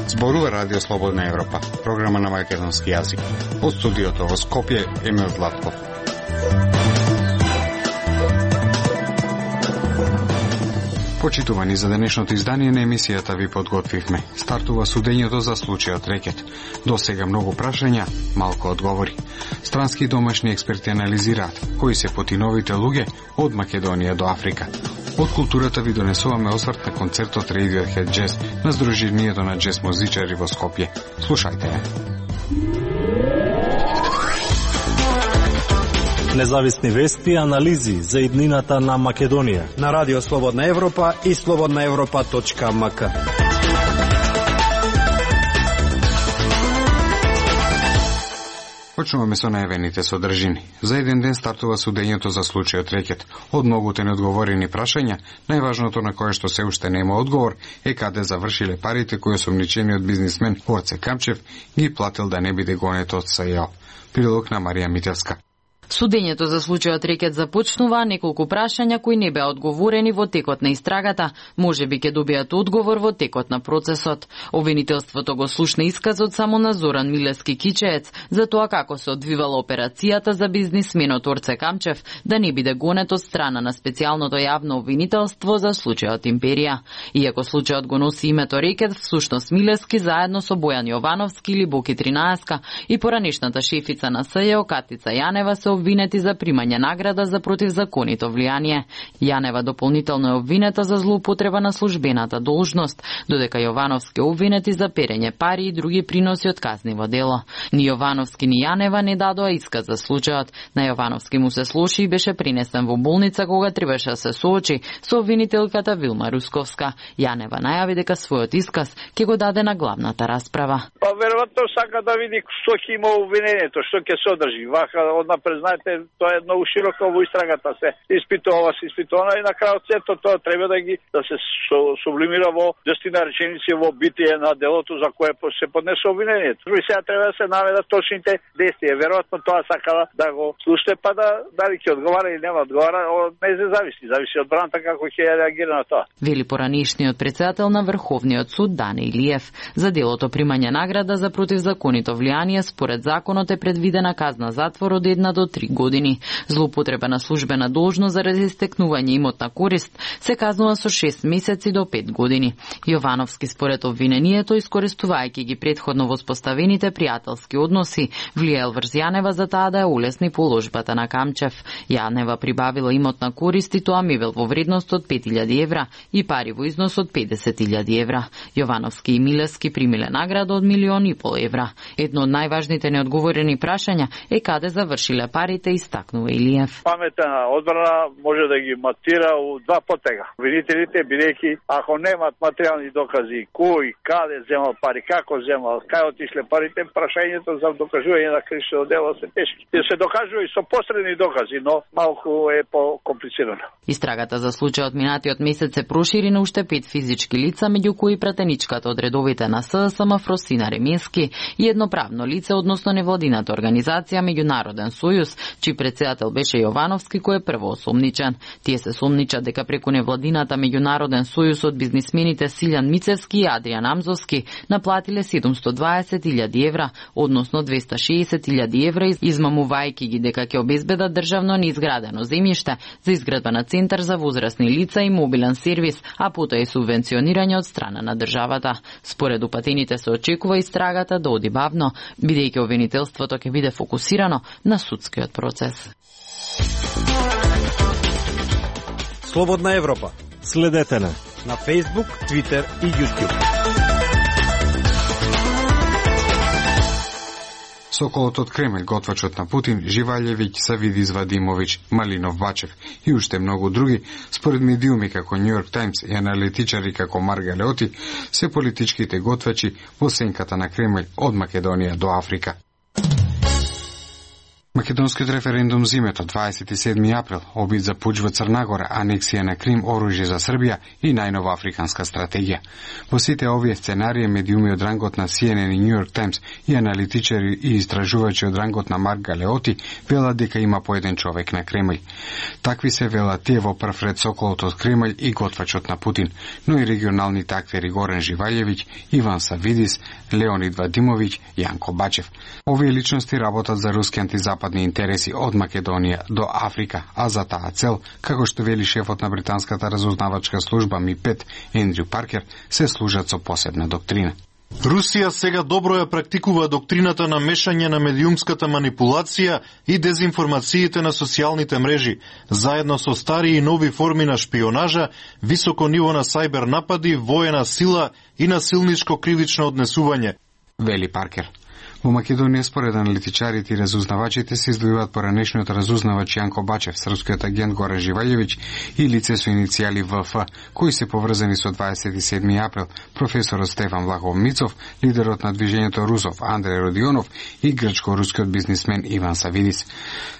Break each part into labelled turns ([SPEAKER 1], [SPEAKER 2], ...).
[SPEAKER 1] Зборува Радио Слободна Европа, програма на македонски јазик. Од студиото во Скопје, Емил Златков. Почитувани, за денешното издание на емисијата ви подготвивме. Стартува судењето за случајот Рекет. До сега многу прашања, малку одговори. Странски и домашни експерти анализираат кои се потиновите луѓе од Македонија до Африка. Од културата ви донесуваме осврт на концертот Radiohead Jazz на Сдруженијето на джез музичари во Скопје. Слушајте ја.
[SPEAKER 2] Независни вести и анализи за иднината на Македонија
[SPEAKER 3] на Радио Слободна Европа и slobodnaevropa.mk.
[SPEAKER 1] Почнуваме со најавените содржини. За еден ден стартува судењето за случајот Рекет. Од многуте неодговорени прашања, најважното на кое што се уште нема одговор е каде завршиле парите кои осомничениот бизнисмен Орце Камчев ги платил да не биде гонет од СЈО. Прилог на Марија Митевска.
[SPEAKER 4] Судењето за случајот Рекет започнува, неколку прашања кои не беа одговорени во текот на истрагата, можеби ќе добијат одговор во текот на процесот. Обвинителството го слушна исказот само на Зоран Милевски Кичеец за тоа како се одвивала операцијата за бизнисменот Орце Камчев да не биде гонет од страна на специјалното јавно обвинителство за случајот Империја. Иако случајот го носи името Рекет, всушност Милевски заедно со Бојан Јовановски или Боки Тринаеска и поранешната шефица на СЈО Катица Јанева се обвинети за примање награда за противзаконито влијание. Јанева дополнително е обвинета за злоупотреба на службената должност, додека Јовановски обвинети за перење пари и други приноси од казниво дело. Ни Јовановски ни Јанева не дадоа исказ за случајот. На Јовановски му се слоши и беше принесен во болница кога требаше да се соочи со обвинителката Вилма Русковска. Јанева најави дека својот исказ ќе го даде на главната расправа.
[SPEAKER 5] Па веројатно сака да види што ќе има обвинението, што ќе содржи. Вака однапред знаете, тоа е многу широко во истрагата, се испитува и на крајот сето тоа треба да се сублимира во 10 реченици во битие на делото за кое се поднесе обвинението. И сега треба да се наведат точните действија. Веројатно тоа сакала да го слушне, па дали ќе одговара или нема одговара, не се зависи од браната како ќе реагира на тоа.
[SPEAKER 4] Вели поранешниот претседател на Врховниот суд Дане Илиев. За делото примање награда за противзаконито влијание според законот е предвидена казна затвор од 1 до 3 години. Злоупотреба на службена должност заради стекнување имотна корист се казнува со 6 месеци до 5 години. Јовановски според обвинението, искористувајќи ги предходно воспоставените пријателски односи, влијаел врз Јанева за таа да ја улесни положбата на Камчев. Јанева прибавила имотна корист и тоа мебел во вредност од 5000 евра и пари во износ од 50.000 евра. Јовановски и Милевски примиле награда од 1,5 милиони евра. Едно од најважните неодговорени прашања е каде завршиле парите, истакнува Илиев.
[SPEAKER 5] Паметна одбрана може да ги матира у два потега. Обвинителите, бидејќи ако немат материјални докази, кој, каде земал пари, како земал, кај отишле парите, прашањето за докажување на кривично дело се тешки. Се докажува и со посредни докази, но малку е по-комплицирано.
[SPEAKER 4] Истрагата за случајот минатиот месец се прошири на уште 5 физички лица, меѓу кои пратеничката од редовите на ССМ Фросина Ремески и едно правно лице, односно невладината организација Меѓународен сојуз, чиј претседател беше Јовановски, кој е прво осомничен. Тие се сомничат дека преку невладината Меѓународен сојуз од бизнисмените Силјан Мицевски и Адријан Амзовски наплатиле 720.000 евра, односно 260.000 евра, измамувајќи ги дека ќе обезбедат државно неизградено земјиште за изградба на центар за возрастни лица и мобилен сервис, а потоа и субвенционирање од страна на државата. Според упатените се очекува истрагата да оди бавно, бидејќи обвинителството ќе биде фокусирано на судскиот процес.
[SPEAKER 3] Слободна Европа.
[SPEAKER 2] Следете на
[SPEAKER 3] Facebook, Twitter и YouTube.
[SPEAKER 1] Соколот од Кремљ, готвачот на Путин, Живаљевиќ, Савидис Вадимовиќ, Малинов Бачев и уште многу други, според медиуми како Нью Йорк Таймс и аналитичари како Марга Леоти, се политичките готвачи во сенката на Кремљ од Македонија до Африка. Македонскиот референдум зимето 27. април, обид за пуч во Црна Гора, анексија на Крим, оружје за Србија и најнова африканска стратегија. Во сите овие сценарии медиуми од рангот на CNN и New York Times и аналитичари и истражувачи од рангот на Марк Галеоти велат дека има по еден човек на Кремљ. Такви се велат тие во прв ред соколот од Кремљ и готвачот на Путин, но и регионалните актери Горан Живаљевиќ, Иван Савидис, Леонид Вадимовиќ, Јанко Бачев. Овие личности работат за руски антизападни интереси од Македонија до Африка, а за таа цел, како што вели шефот на британската разузнавачка служба МИ-5 Ендрю Паркер, се служат со посебна доктрина.
[SPEAKER 6] Русија сега добро ја практикува доктрината на мешање на медиумската манипулација и дезинформациите на социјалните мрежи, заедно со стари и нови форми на шпионажа, високо ниво на сајбер напади, воена сила и насилничко кривично однесување,
[SPEAKER 1] вели Паркер. Во Македонија, според аналитичарите и разузнавачите, се издвојуваат поранешниот разузнавач Јанко Бачев, српскиот агент Горан Живаљевиќ и лице со иницијали ВФ, кои се поврзани со 27. април, професорот Стефан Влахов Мицов, лидерот на движењето Русов Андреј Родионов и грчко-рускиот бизнисмен Иван Савидис.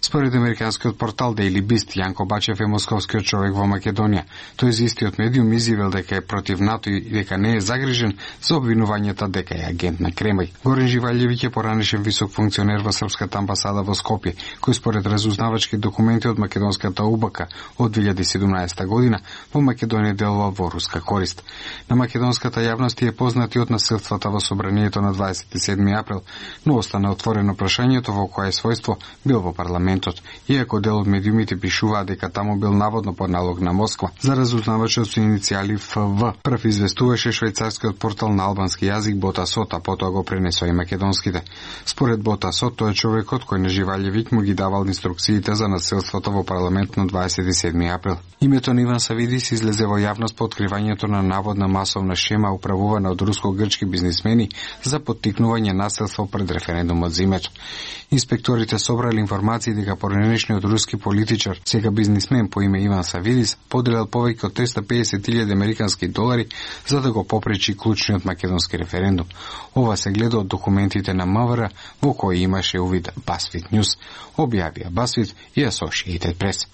[SPEAKER 1] Според американскиот портал Daily Beast, Јанко Бачев е московскиот човек во Македонија. Тој за истиот медиум изјавил дека е против НАТО и дека не е загрижен за обвинувањата дека е агент на Кремљ. Горан Живаљевиќ поранешен висок функционер во српската амбасада во Скопје, кој според разузнавачки документи од македонската УБК од 2017 година во Македонија делува во руска корист. На македонската јавност е познати од насилствата во собранието на 27. април, но остана отворено прашањето во кое својство бил во парламентот, иако дел од медиумите пишуваат дека таму бил наводно под налог на Москва. За разузнавачот со иницијали ФВ прв известуваше швајцарскиот портал на албански јазик Ботасот, а потоа го пренесоа и македонските. Според Ботасот, тој е човекот кој на Живаљевиќ му ги давал инструкциите за насилството во парламент на 27. април. Името на Иван Савидис излезе во јавност по откривањето на наводна масовна шема управувана од руско-грчки бизнисмени за поттикнување насилство пред референдумот зимето. Инспекторите собрали информации дека поранешниот руски политичар, сега бизнисмен по име Иван Савидис, поделил повеќе од 350.000 американски долари за да го попречи клучниот македонски референдум. Ова се гледа од документите на МВР во кои имаше увид BuzzFeed News, објавија BuzzFeed и Associated Press.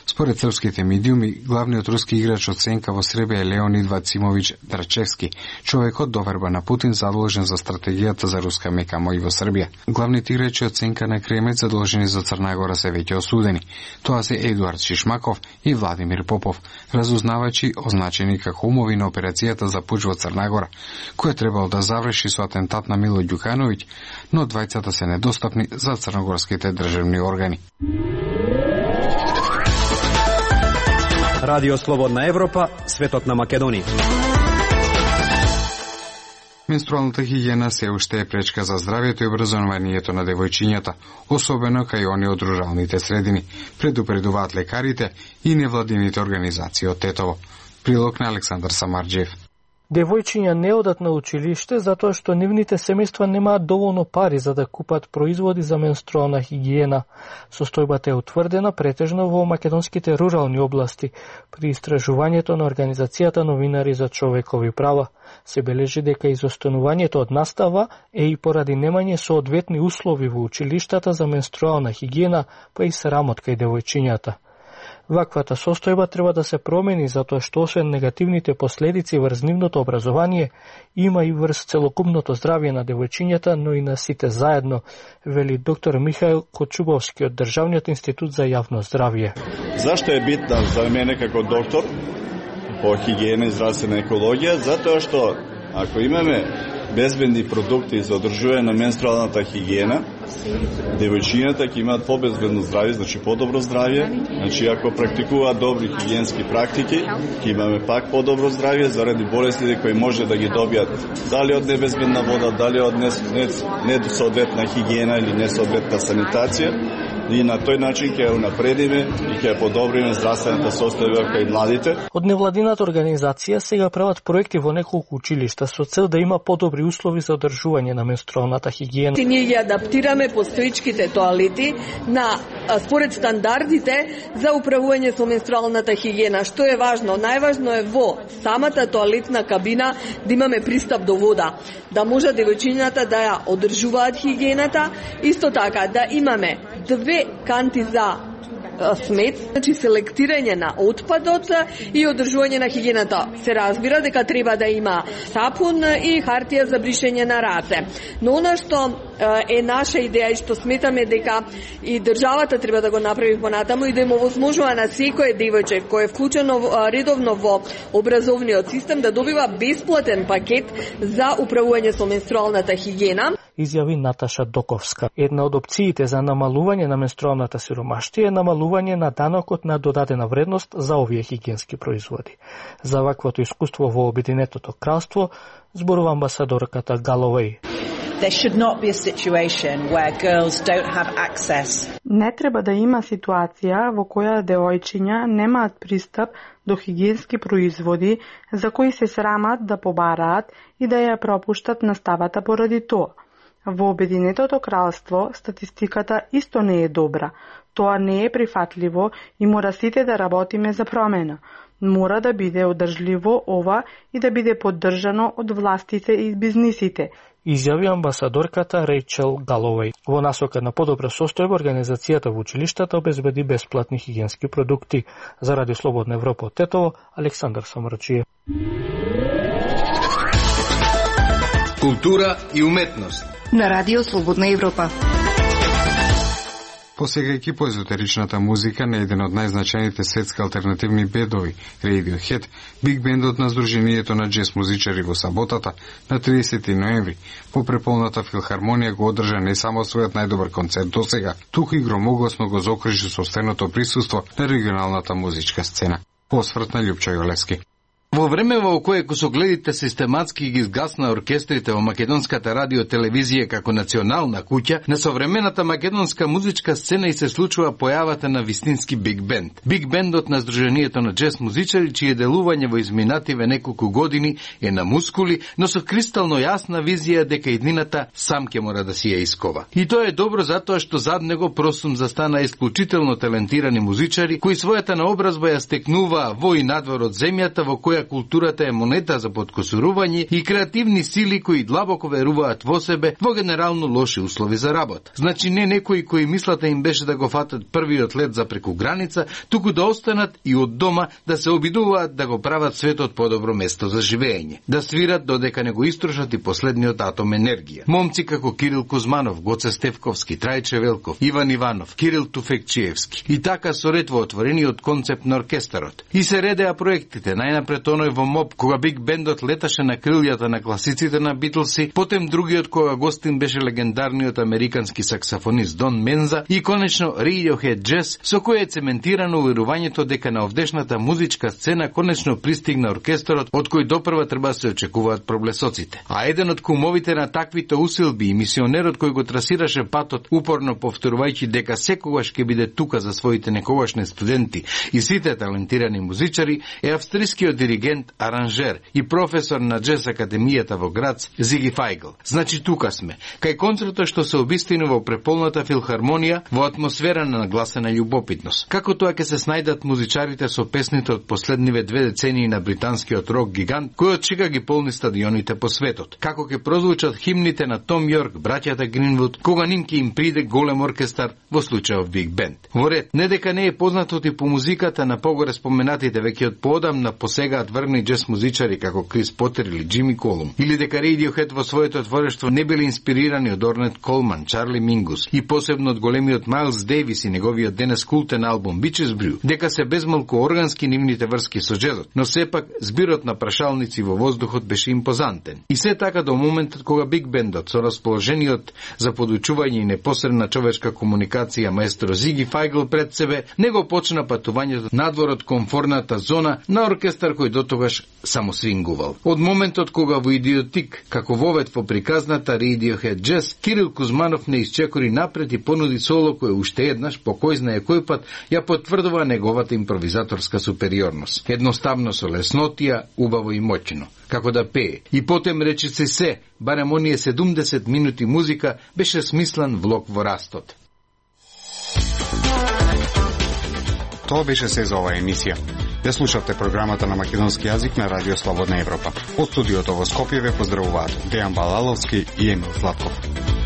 [SPEAKER 1] Според српските медиуми, главниот руски играч од сенка во Србија е Леонид Вацимовиќ Драчевски, човекот до верба на Путин задолжен за стратегијата за руска мека мој во Србија. Главните играчи од сенка на Кремљ задолжени за Црна Гора се веќе осудени. Тоа се Едуард Шишмаков и Владимир Попов, разузнавачи означени како умови на операцијата за пуч во Црна Гора, која требало да заврши со атентат на Мило Ѓукановиќ, но двајцата се недостапни за црногорските државни органи.
[SPEAKER 3] Радио Слободна Европа, светот на Македонија.
[SPEAKER 1] Менструалната хигиена се уште е пречка за здравјето и образованието на девојчињата, особено кај они од руралните средини, предупредуваат лекарите и невладините организации од Тетово. Прилог на Александар Самарџиев.
[SPEAKER 7] Девојчиња не одат на училиште затоа што нивните семејства немаат доволно пари за да купат производи за менструална хигиена. Состојбата е утврдена претежно во македонските рурални области. При истражувањето на Организацијата новинари за човекови права се бележи дека изостанувањето од настава е и поради немање соодветни услови во училиштата за менструална хигиена, па и срамот кај девојчињата. Ваквата состојба треба да се промени затоа што освен негативните последици врз нивното образование, има и врз целокупното здравје на девојчињата, но и на сите заедно, вели доктор Михаил Кочубовски од Државниот институт за јавно здравје.
[SPEAKER 8] Зашто е битна за мене како доктор по хигиена и здравствена екологија? Затоа што ако имаме безбедни продукти за одржување на менструалната хигиена, девојчињата ќе имаат побезбедно здравје, значи подобро здравје. Значи ако практикуваат добри хигиенски практики, ќе имаме пак подобро здравје заради болестите кои може да ги добијат дали од небезбедна вода, дали од несоодветна хигиена или несоодветна санитација. И на тој начин ќе унапредиме и ќе подобриме здравствената состојба кај младите.
[SPEAKER 7] Од невладината организација сега прават проекти во неколку училишта со цел да има подобри услови за одржување на менструалната хигиена.
[SPEAKER 9] Ние ги адаптираме постоичките тоалети на според стандардите за управување со менструалната хигиена. Што е важно? Најважно е во самата тоалетна кабина да имаме пристап до вода, да може девојчињата да ја одржуваат хигиената, исто така да имаме 2 канти за смет, значи селектирање на отпадот и одржување на хигиената. Се разбира дека треба да има сапун и хартија за бришење на раце. Но она што е наша идеја и што сметаме дека и државата треба да го направи понатаму и да им овозможува на секој девојче кој е вклучено редовно во образовниот систем да добива бесплатен пакет за управување со менструалната хигиена.
[SPEAKER 7] Изјави Наташа Доковска. Една од опциите за намалување на менструалната сиромаштија е намалување на данокот на додадена вредност за овие хигиенски производи. За ваквото искуство во Обединетото кралство зборува амбасадорката Галовеј.
[SPEAKER 10] There should not be a situation where girls don't have access.
[SPEAKER 11] Не треба да има ситуација во која девојчиња немаат пристап до хигиенски производи за кои се срамат да побараат и да ја пропуштат наставата поради тоа. Во Обединетото кралство статистиката исто не е добра. Тоа не е прифатливо и мора сите да работиме за промена. Мора да биде одржливо ова и да биде поддржано од властите и бизнисите.
[SPEAKER 7] Изјави амбасадорката Рейчел Галовеј. Во насока на подобра состојба, организацијата во училиштата обезбеди бесплатни хигиенски продукти. За Радио Слободна Европа од Тетово, Александар Самрачиев.
[SPEAKER 12] Култура и уметност
[SPEAKER 13] на Радио Слободна Европа.
[SPEAKER 1] Посегајќи по езотеричната музика на еден од најзначајните светски алтернативни бендови, Radiohead, биг бендот на Сдруженијето на джез музичари во саботата на 30 ноември по преполната филхармонија го одржа не само својот најдобар концерт досега, туку и громогласно го заокружи со стеното присуство на регионалната музичка сцена. Осврт на Љупчо Јолевски.
[SPEAKER 12] Во време во кое косогледите систематски ги изгасна оркестрите во македонската радио-телевизија како национална куќа, на современата македонска музичка сцена и се случува појавата на вистински биг бенд. Биг бендот на Сдруженијето на джез музичари, чие делување во изминативе неколку години е на мускули, но со кристално јасна визија дека иднината сам ќе мора да си ја искова. И тоа е добро затоа што зад него просум застана исклучително талентирани музичари, кои својата наобразба ја стекнуваа во и надвор од земјата во која културата е монета за подкосурување и креативни сили кои длабоко веруваат во себе во генерално лоши услови за работа. Значи не некои кои мислата им беше да го фатат првиот лет за преку граница, туку да останат и од дома да се обидуваат да го прават светот подобро место за живење. Да свират додека не го истрошат и последниот атом енергија. Момци како Кирил Кузманов, Гоце Стевковски, Трајче Велков, Иван Иванов, Кирил Туфекчиевски. И така со ред во отворениот концепт на оркестарот. И се редеа проектите, најнапред оној во МОП, кога биг бендот леташе на крилјата на класиците на Битлси, потем другиот кога гостин беше легендарниот американски саксофонист Дон Менза и конечно Radiohead Jazz, со кој е цементирано уверувањето дека на овдешната музичка сцена конечно пристигна оркестарот од кој допрва треба се очекуваат проблесоците. А еден од кумовите на таквите усилби и мисионерот кој го трасираше патот, упорно повторувајќи дека секогаш ќе биде тука за своите некогашни студенти и сите талентирани музичари, е австрискиот диригент, аранжер и професор на джез академијата во Грац, Зиги Фајгл. Значи тука сме, кај концертот што се обистинува во преполната филхармонија во атмосфера на нагласена љубопитност. Како тоа ќе се снајдат музичарите со песните од последниве 2 децении на британскиот рок гигант, кој од чека ги полни стадионите по светот. Како ќе прозвучат химните на Том Јорк, браќата Гринвуд, кога ним ќе им приде голем оркестар, во случајов биг бенд. Во ред, не дека не е познатото и по музиката на погоре споменатите веќе од поодамна посегаат врни джез музичари како Крис Потер или Джими Колум, или дека Radiohead во своето творештво не били инспирирани од Орнет Колман, Чарли Мингус и посебно од големиот Майлс Дейвис и неговиот денес култен албум Bitches Brew, дека се безмалку органски нивните врски со джезот, но сепак збирот на прашалници во воздухот беше импозантен. И се така до моментот кога биг бендот со расположениот за подучување и непосредна човечка комуникација маестро Зиги Фајгл пред себе, него почна патувањето надвор од комфорната зона на оркестар кој дотогаш само свингувал. Од моментот кога во Идиотик, како вовет во приказната Radiohead Jazz, Кирил Кузманов не исчекори напред и понуди соло кој уште еднаш, по кој знае кој пат, ја потврдува неговата импровизаторска супериорност. Едноставно со леснотија, убаво и моќно, како да пее. И потем речиси се, барем оние 70 минути музика, беше смислен влог во растот.
[SPEAKER 1] Тоа беше се за оваа емисија. Ја слушавте програмата на македонски јазик на Радио Слободна Европа. Од студиото во Скопје ве поздравуваат Дејан Балаловски и Емил Златков.